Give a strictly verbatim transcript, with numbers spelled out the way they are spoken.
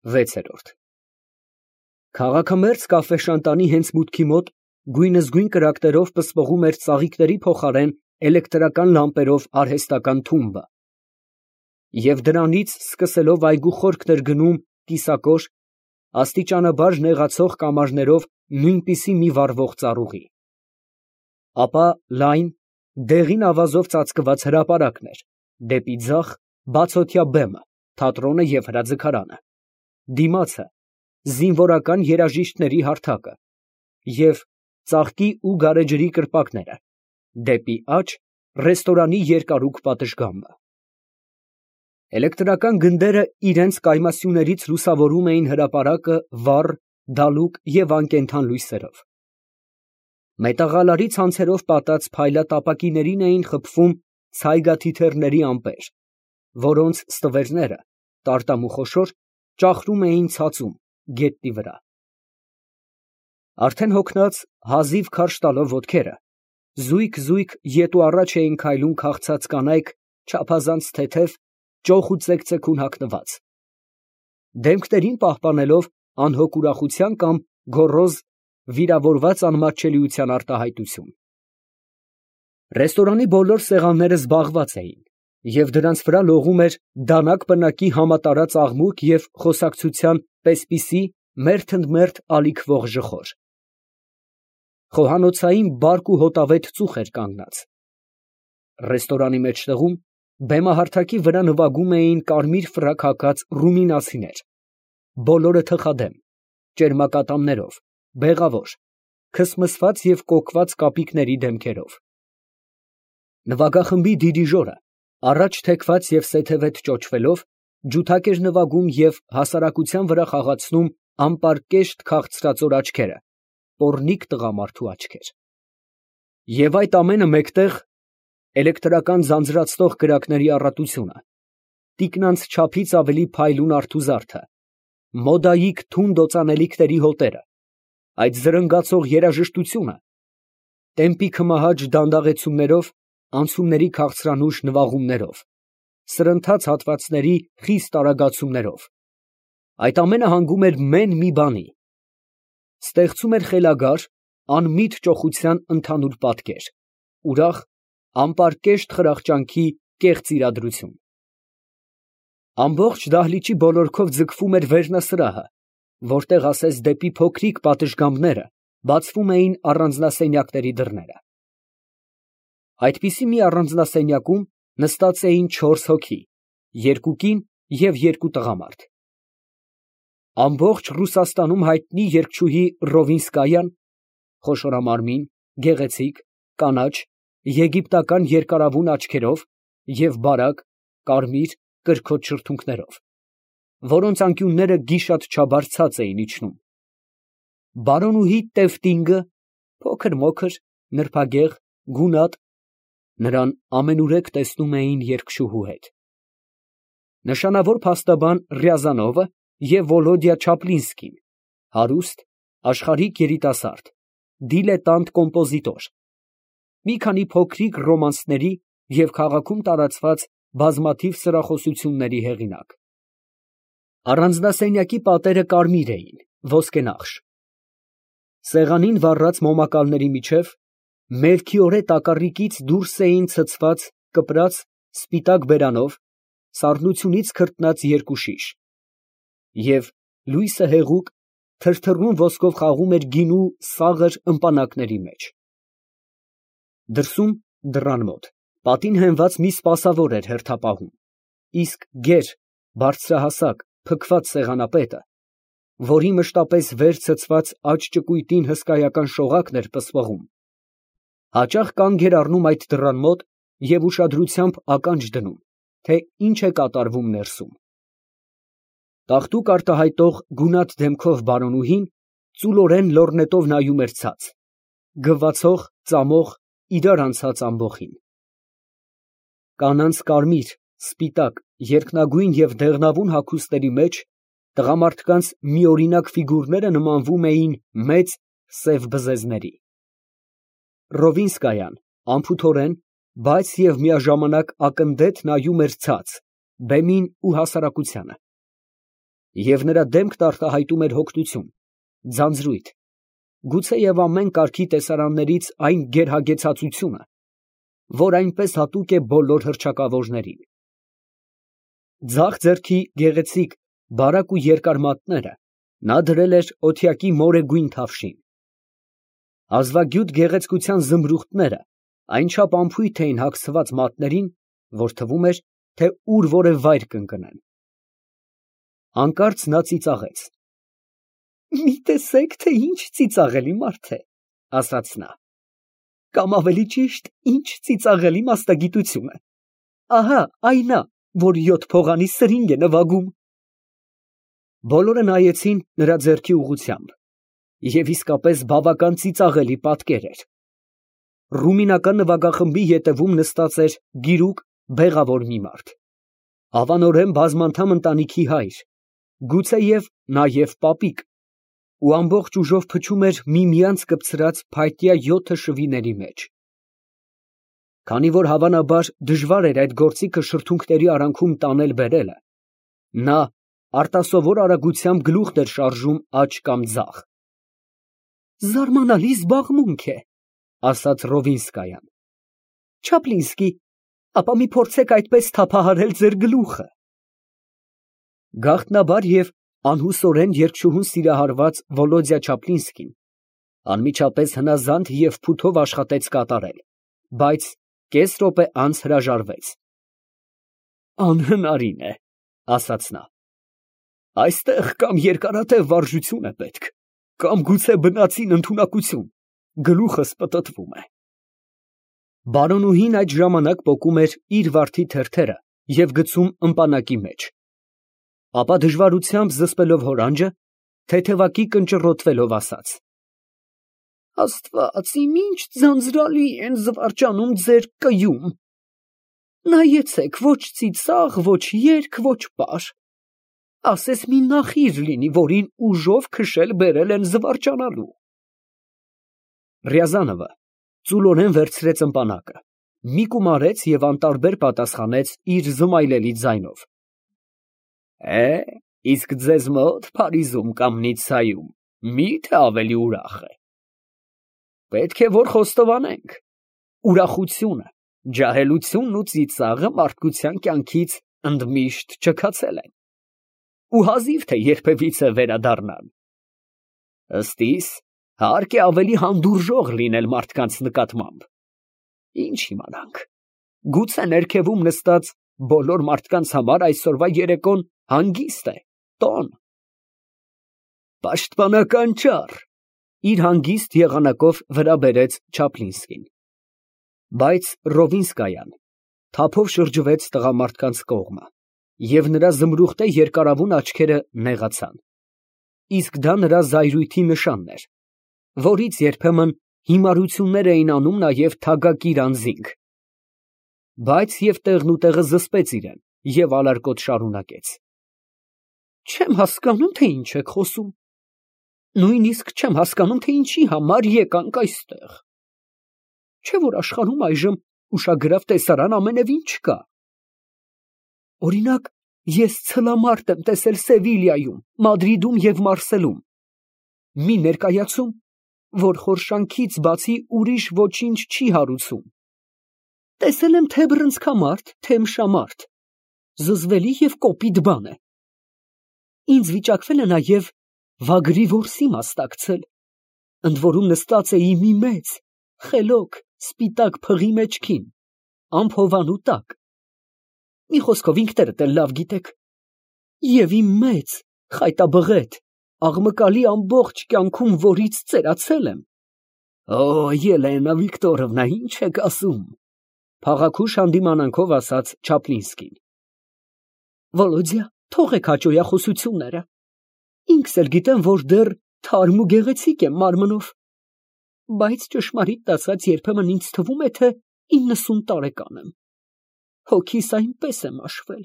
վեցերորդ Քաղաքամերձ կաֆեշանտանի հենց մուտքի մոտ գույնզգույն կրակներով պսպղում էր ծաղիկների փոխարեն էլեկտրական լամպերով արհեստական թումբը, և դրանից, սկսելով այգու խորքն էր գնում կիսակոր, աստիճանաբար նեղացող կամարներով նույնպիսի մի վառվող ծառուղի, ապա լայն, դեղին ավազով ծածկված հրապարակն էր, դեպի ձախ բացօթյա բեմը, թատրոնը և հրաձգարանը, դիմացը զինվորական երաժիշտների հարթակը և ծաղկի ու գարեջրի կրպակները, դեպի աջ ռեստորանի երկարուկ պատշգամբը։ Էլեկտրական գնդերը իրենց կայմասյուներից լուսավորում էին հրապարակը վառ, դալուկ և անկենդան լույսերով։ Մետաղալարի ցանցերով պատած փայլատապակիներին էին խփվում ցայգաթիթեռների ամպեր, որոնց ստվերները, տարտամ ու խոշոր, ճախրում էին ցածում, գետնի վրա։ Արդեն հոգնած, հազիվ քարշ տալով ոտքերը, զույգ֊զույգ ետ ու առաջ էին քայլում քաղցած կանայք, չափազանց թեթև, ճոխ ու ծեքծեքուն հագնված, դեմքներին պահպանելով անհոգ ուրախության կամ գոռոզ, վիրավորված անմատչելիության արտահայտություն։ Ռեստորանի բոլոր սեղանները զբաղված էին, և դրանց վրա լողում էր դանակ պնակի համատարած աղմուկ և խոսակցության պես֊պիսի մերթ ընդ մերթ ալիքվող ժխոր։ Խոհանոցային բարկ ու հոտավետ ծուխ էր կանգնած։ Ռեստորանի մեջտեղում բեմահարթակի վրա նվագում էին կարմիր ֆրակ հագած ռումինացիներ, բոլորը թխադեմ, ճերմակատամներով, բեղավոր, քսմսված և կոկված կապիկների դեմքերով։ Նվագախմբի դիրիժորը, առաջ թեքված և սեթևետ ճոճվելով, ջութակ էր նվագում և հասարակության վրա խաղացնում անպարկեշտ քաղցրածոր աչքերը, պոռնիկ տղամարդու աչքեր։ Եվ այդ ամենը մեկտեղ էլեկտրական ձանձրացնող կրակների առատությունը, տիկնանց չափից ավելի փայլուն արթուզարդը, մոդայիկ թունդ օծանելիքների հոտերը, այդ զրնգացող երաժշտությունը, տեմպի քմահաճ դանդաղեցումներով, անցումների քաղցրանուշ նվաղումներով, սրընթաց հատվածների խիստ արագացումներով, այդ ամենը հանգում էր մեն մի բանի, ստեղծում էր խելագար, անմիտ ճոխության ընդհանուր պատկեր, ուրախ, անպարկեշտ խրախճանքի կեղծ իրադրություն։ Ամբողջ դահլիճի բոլորքով ձգվում էր վերնասրահը, որտեղ ասես դեպի փոքրիկ պատշգամբները բացվում էին առանձնասենյակների դռները։ Այդպիսի մի առանձնասենյակում նստած էին չորս հոգի, երկու կին և երկու տղամարդ։ Ամբողջ Ռուսաստանում հայտնի երգչուհի Ռովինսկայան, խոշորամարմին, գեղեցիկ, կանաչ, եգիպտական երկարավուն աչքերով և բարակ, կարմիր, կրքոտ շրթունքներով, որոնց անկյունները գիշատչաբար ցած էին իջնում, բարոնուհի Տևտինգը, փոքր֊մոքր, նրբագեղ, գունատ, նրան ամենուրեք տեսնում էին երգչուհու հետ, նշանավոր փաստաբան Ռյազանովը և Վոլոդյա Չապլինսկին, հարուստ, աշխարհիկ երիտասարդ, դիլետանտ կոմպոզիտոր, մի քանի փոքրիկ ռոմանսների և քաղաքում տարածված բազմաթիվ սրախոսությունների հեղինակ։ Առանձնասենյակի պատերը կարմիր էին, ոսկենախշ։ Սեղանին վառած մոմակալների միջև մերկիորե տակառիկից դուրս էին ցցված կպրած սպիտակ բերանով սառնությունից քրտնած երկու շիշ, և լույսը հեղուկ, թրթռուն ոսկով խաղում էր գինու սաղր ըմպանակների մեջ։ Դրսում, դռան մոտ, պատին հենված մի սպասավոր էր հերթապահում, իսկ գեր, բարձրահասակ, փքված սեղանապետը, որի մշտապես վեր ցցված աջ ճկույտին հսկայական շողակն էր պսպղում, հաճախ կանգ էր առնում այդ դռան մոտ և ուշադրությամբ ականջ դնում, թե ինչ է կատարվում ներսում։ Տաղտուկ արտահայտող գունատ դեմքով բարոնուհին ծուլորեն լոռնետով նայում էր ցած, գվվացող, ծամող, իրար անցած ամբոխին։ Կանանց կարմիր, սպիտակ, երկնագույն և դեղնավուն հագուստների մեջ տղամարդկանց միօրինակ ֆիգուրները նմանվում էին մեծ, սև բզեզների։ Ռովինսկայան անփութորեն, բայց և միաժամանակ ակնդետ նայում էր ցած, բեմին ու հասարակությանը։ և նրա դեմքն արտահայտում էր հոգնություն, ձանձրույթ, գուցեև ամեն կարգի տեսարաններից այն գերհագեցածությունը, որ այնպես հատուկ է բոլոր հռչակավորներին։ Ձախ ձեռքի գեղեցիկ, բարակ ու երկար մատները նա դրել էր օթյակի մորեգույն թավշին։ Հազվագյուտ գեղեցկության զմրուխտները այնչափ անփույթ էին հագցված մատներին, որ թվում էր, թե ուր որ է վայր կընկնեն։ Հանկարծ նա ծիծաղեց։ «Մի տեսեք, թե ինչ ծիծաղելի մարդ է, ֊ ասաց նա, ֊ կամ ավելի ճիշտ, ինչ ծիծաղելի մասնագիտություն է։ Ահա այն ա, որ յոթ փողանի սրինգ է նվագում»։ Բոլորը նայեցին նրա ձեռքի ուղղությամբ, և իսկապես բավական ծիծաղելի պատկեր էր։ Ռումինական նվագախմբի ետևում նստած էր գիրուկ, բեղավոր մի մարդ, հավանորեն բազմանդամ ընտանիքի հայր, գուցեև նաև պապիկ, ու ամբողջ ուժով փչում էր միմյանց կպցրած փայտյա յոթը շվիների մեջ։ Քանի որ հավանաբար դժվար էր այդ գործիքը շրթունքների արանքում տանել֊բերելը, նա արտասովոր արագությամբ գլուխն էր շարժում աջ կամ ձախ։ «Զարմանալի զբաղմունք է, ֊ ասաց Ռովինսկայան։ ֊ Չապլինսկի, ապա մի փորձեք այդպես թափահարել ձեր գլուխը»։ Գաղտնաբար և անհուսորեն երկչուհուն սիրահարված Վոլոդյա Չապլինսկին անմիջապես հնազանդ և փութով աշխատեց կատարել, բայց կես րոպե անց հրաժարվեց։ «Անհնարին է, ֊ ասաց նա, ֊ այստեղ կամ երկարատև վարժություն է պետք, կամ գուցե բնածին ընդունակություն, գլուխս պտտվում է»։ Բարոնուհին այդ ժամանակ պոկում էր իր վարդի թերթերը և գցում ըմպանակի մեջ, ապա դժվարությամբ զսպելով հորանջը, թեթևակի կնճռոտվելով ասաց. «Աստված իմ, ինչ ձանձրալի են զվարճանում ձեր կյուն. նայեցեք, ոչ ծիծաղ, ոչ երգ, ոչ պար, ասես մի նախիր լինի, որին ուժով քշել֊բերել են զվարճանալու»։ Ռյազանովը ծուլորեն վերցրեց ըմպանակը, մի կում արեց և անտարբեր պատասխանեց իր զմայլելի ձայնով. «Է, իսկ ձեզ մոտ Փարիզում կամ Նիցայում մի՞թե ավելի ուրախ է։ Պետք է որ խոստովանենք, ուրախությունը, ջահելությունն ու ծիծաղը մարդկության կյանքից ընդմիշտ չքացել են, ու հազիվ թե երբևիցե վերադառնան։ Ըստ իս, հարկ է ավելի հանդուրժող լինել մարդկանց նկատմամբ։ Ինչ իմանանք, գուցե ներքևում նստած բոլոր մարդկանց համար այսօրվա երեկոն հանգիստ է, տոն։ Պաշտպանական ճառ, ֊ իր հանգիստ եղանակով վրա բերեց Չապլինսկին։ Բայց Ռովինսկայան թափով շրջվեց տղամարդկանց կողմը, և նրա զմրուխտե երկարավուն աչքերը նեղացան, իսկ դա նրա զայրույթի նշանն էր, որից երբեմն հիմարություններ էին անում նաև թագակիր անձինք։ Բայց և տեղնուտեղը զսպեց իրեն և ալարկոտ շարունակեց. «Չեմ հասկանում, թե ինչ եք խոսում, նույնիսկ չեմ հասկանում, թե ինչի համար եկանք այստեղ։ Չէ՞ որ աշխարհում այժմ ուշագրավ տեսարան ամենևին չկա։ Օրինակ, ես ցլամարտ եմ տեսել Սևիլյայում, Մադրիդում և Մարսելում, մի ներկայացում, որ խորշանքից բացի ուրիշ ոչինչ չի հարուցում։ Տեսել եմ թե՛ բռնցքամարտ, թե՛ ըմբշամարտ, զզվելի և կոպիտ բան է։ Ինձ վիճակվել է նաև վագրի որսի մասնակցել, ընդ որում նստած էի մի մեծ, խելոք, սպիտակ փղի մեջքին, ամփոփանու տակ, մի խոսքով ինքներդ էլ լավ գիտեք, և իմ մեծ, խայտաբղետ, աղմկալի ամբողջ կյանքում որից ծերացել եմ։ Օ, Ելենա Վիկտորովնա, ինչ եք ասում, ֊ փաղաքուշ հանդիմանանքով ասաց Չապլինսկին։ Վոլոդյա, թողեք հաճոյախոսությունները, ինքս էլ գիտեմ, որ դեռ թարմ ու գեղեցիկ եմ մարմնով, բայց ճշմարիտ ասած, երբեմն ինձ թվում է, թե իննսուն տարեկան եմ, հոգիս այնպես է մաշվել,